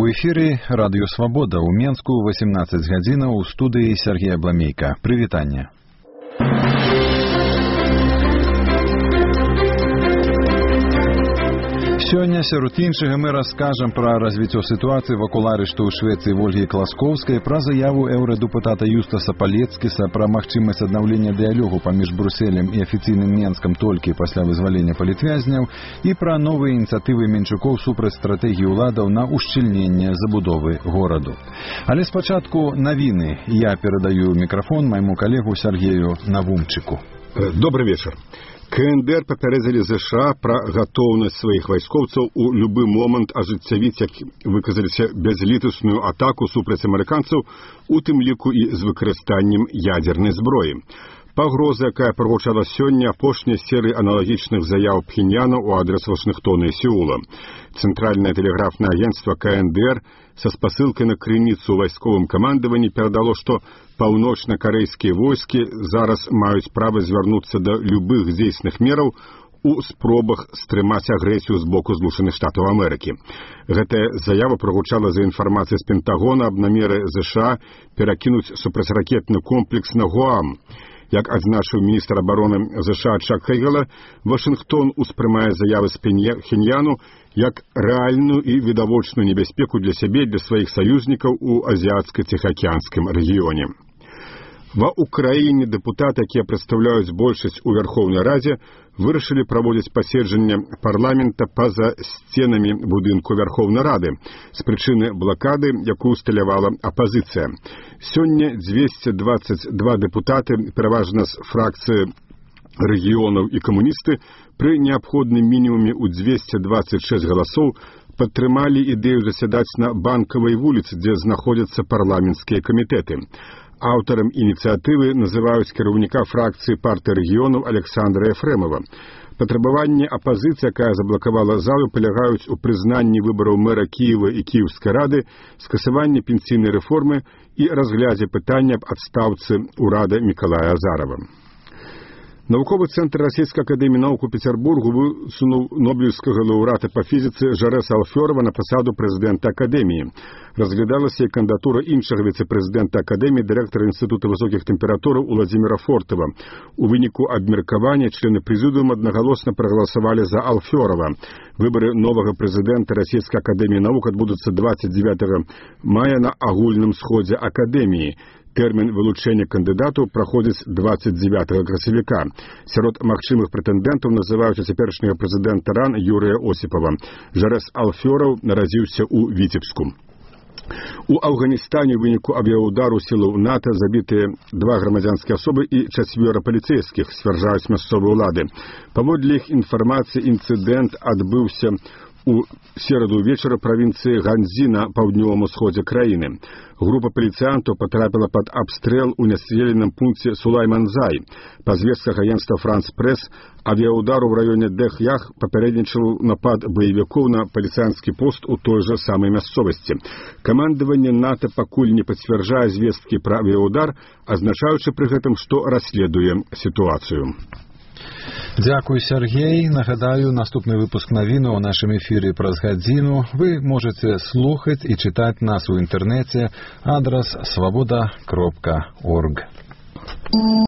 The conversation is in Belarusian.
У эфіры радыё Свабода ў Менску 18 гадзінаў у студыі Сергея Бламейка. Прывітанне. Сёння сярод іншага мы раскажам пра развіццё сітуацыі вакол арышту ў Швецыі Вольгі Класкоўскай, пра заяву еўрадэпутата Юстаса Палецкіса пра магчымасць аднаўлення дыялогу паміж Брюсселем і афіцыйным Менскам толькі пасля вызвалення палітвязняў і пра новыя ініцыятывы Менчукоў супраць стратэгіі ўладаў на ушчыльненне забудовы гораду. Але спачатку навіны. Я перадаю мікрафон майму калегу Сергею Навумчыку. Добрый вечер. КНДР папярэдзілі ЗША пра гатоўнасць сваіх вайскоўцаў у любы момант ажыццявіць, як выказаліся, бязлітасную атаку супраць амерыканцаў, у тым ліку і з выкарыстаннем ядзернай зброі. Пагроза, якая прагучала сёння, апошняй серыі аналагічных заяў Пхеньяна ў адрас Вашынгтона і Сеула. Цэнтральнае тэлеграфнае агенцтва КНДР са спасылкай на крыніцу ў вайсковым камандаванні перадало, што паўночна-карэйскія войскі зараз маюць права звярнуцца да любых дзейсных мераў у спробах стрымаць агрэсію з боку Злучаных Штатаў Амерыкі. Гэтая заява прагучала за інфармацыяй з Пентагона аб намеры ЗША перакінуць супрацьракетны комплекс на Гуам. Як адзначыў міністр абароны ЗША Чак Хейгела, Вашынгтон успрымае заявы з Пхеньяну як рэальную і відавочную небяспеку для сябе і для сваіх саюзнікаў у азіяцка-ціхаакіянскім рэгіёне. Ва Украіне дэпутаты, якія прадстаўляюць большасць у Вярхоўнай Радзе, вырашылі праводзіць паседжанне парламента па-за сценамі будынку Вярхоўнай Рады з прычыны блакады, якую усталявала апазіцыя. Сёння 222 дэпутаты, пераважна з фракцыі рэгіёнаў і камуністы, пры неабходным мінімуме ў 226 галасоў падтрымалі ідэю засядаць на Банкавай вуліцы, дзе знаходзяцца парламенцкія камітэты. Аўтарам ініцыятывы называюць кіраўніка фракцыі партыі рэгіёнаў Александра Ефремова. Патрабаванні апазіцыі, якая заблакавала залу, палягаюць у прызнанні выбараў мэра Кіева і Кіеўскай рады, скасаванні пенсійнай рэформы і разглядзе пытання аб адстаўцы ўрада Мікалая Азарова. Навуковы цэнтр Расійскай акадэміі навук у Пецярбургу высунуў нобелеўскага лаўрэата па фізіцы Жарэса Алфёрова на пасаду прэзідэнта акадэміі. Разглядалася і кандыдатура іншага віцэ-прэзідэнта акадэміі, дырэктара інстытута высокіх тэмператураў Уладзіміра Фортава. У выніку абмеркавання члены прэзідыума аднагалосна прагаласавалі за Алфёрова. Выбары новага прэзідэнта Расійскай акадэміі навук адбудуцца 29 мая на агульным сходзе акадэміі. Тэрмін вылучэння кандыдатаў праходзіць 29 красавіка. Сярод магчымых прэтэндэнтаў называюць цяперашняга прэзідэнта РАН Юрыя Осіпава. Жарэс Алфёраў нарадзіўся ў Віцебску. У Афганістане ў выніку авіяудару сілаў НАТО забітыя 2 грамадзянскія асобы і 4 паліцэйскіх, сцвярджаюць мясцовыя ўлады. Паводле іх інфармацыі, інцыдэнт адбыўся у сераду вечара правінцыі Ганзі на паўднёвым усходзе краіны. Група паліцыянтаў патрапіла пад абстрэл у населеным пункце Сулайманзай. Па звестках агенцтва Франс Прэс, авіяудар у раёне Дэх-Ях папярэднічаў напад баевікоў на паліцыянскі пост у той жа самай мясцовасці. Камандаванне НАТО пакуль не пацвярджае звесткі пра авіяудар, азначаючы пры гэтым, што расследуе сітуацыю. Дзякуй, Сергей. Нагадаю, наступны выпуск навіны ў нашым эфіры праз гадзіну. Вы можаце слухаць і чытаць нас у інтэрнэце. Адрас свабода.орг.